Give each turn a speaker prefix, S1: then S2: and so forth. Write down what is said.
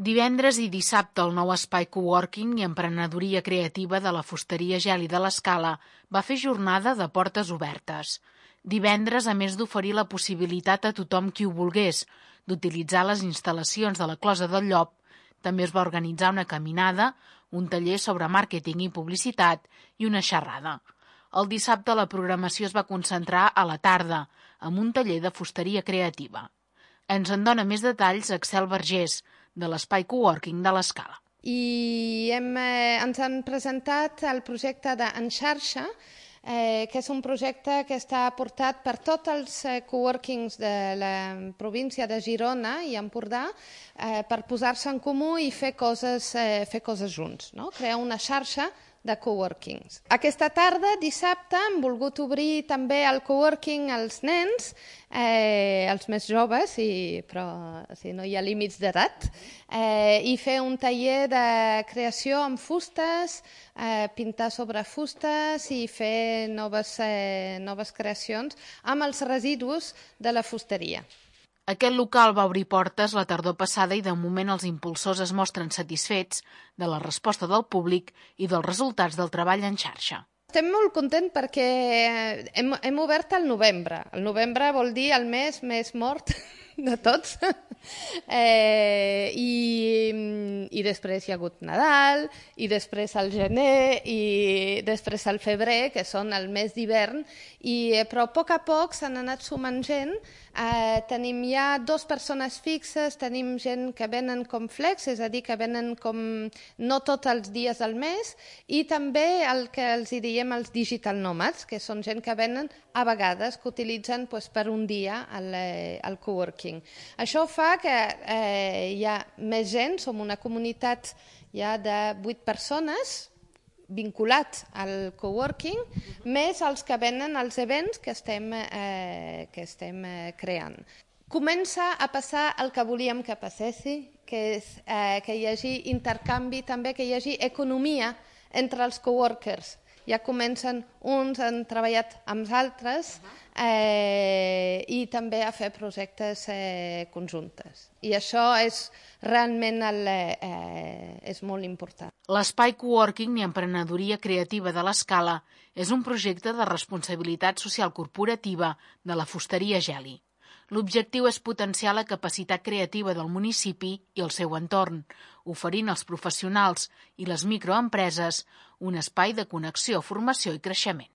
S1: Divendres i dissabte el nou espai coworking i emprenedoria creativa de la fusteria Geli de l'Escala va fer jornada de portes obertes. Divendres, a més d'oferir la possibilitat a tothom qui ho volgués d'utilitzar les instal·lacions de la Closa del Llop, també es va organitzar una caminada, un taller sobre màrqueting i publicitat i una xerrada. El dissabte la programació es va concentrar a la tarda, amb un taller de fusteria creativa. Ens en dona més detalls Axel Vergés, de l'espai coworking de l'Escala.
S2: I ens han presentat el projecte d'En Xarxa, que és un projecte que està portat per tots els coworkings de la província de Girona i Empordà per posar-se en comú i fer coses junts, no? Crear una xarxa de coworkings. Aquesta tarda, dissabte, hem volgut obrir també el coworking als nens, els més joves, però no hi ha límits d'edat, i fer un taller de creació amb fustes, pintar sobre fustes i fer noves creacions amb els residus de la fusteria.
S1: Aquest local va obrir portes la tardor passada i de moment els impulsors es mostren satisfets de la resposta del públic i dels resultats del treball en xarxa.
S2: Estem molt contents perquè hem obert al novembre. El novembre vol dir el mes més mort de tots. I després hi ha hagut Nadal, i després el gener, i després el febrer, que són el mes d'hivern, però a poc s'han anat sumant gent. Tenim ja 2 persones fixes, tenim gent que venen com flex, és a dir, que venen com no tots els dies del mes, i també el que els diem els digital nomads, que són gent que venen a vegades, que utilitzen per un dia el coworking. Això fa que hi ha més gent, som una comunitat ja de 8 persones, vinculat al coworking, més els que venen als events que estem creant. Comença a passar el que volíem que passessi, que és que hi hagi intercanvi, també que hi hagi economia entre els coworkers. Ja comencen, uns han treballat amb els altres i també a fer projectes conjuntes. I això és realment és molt important.
S1: L'espai coworking i emprenedoria creativa de l'Escala és un projecte de responsabilitat social corporativa de la fusteria Geli. L'objectiu és potenciar la capacitat creativa del municipi i el seu entorn, oferint als professionals i les microempreses un espai de connexió, formació i creixement.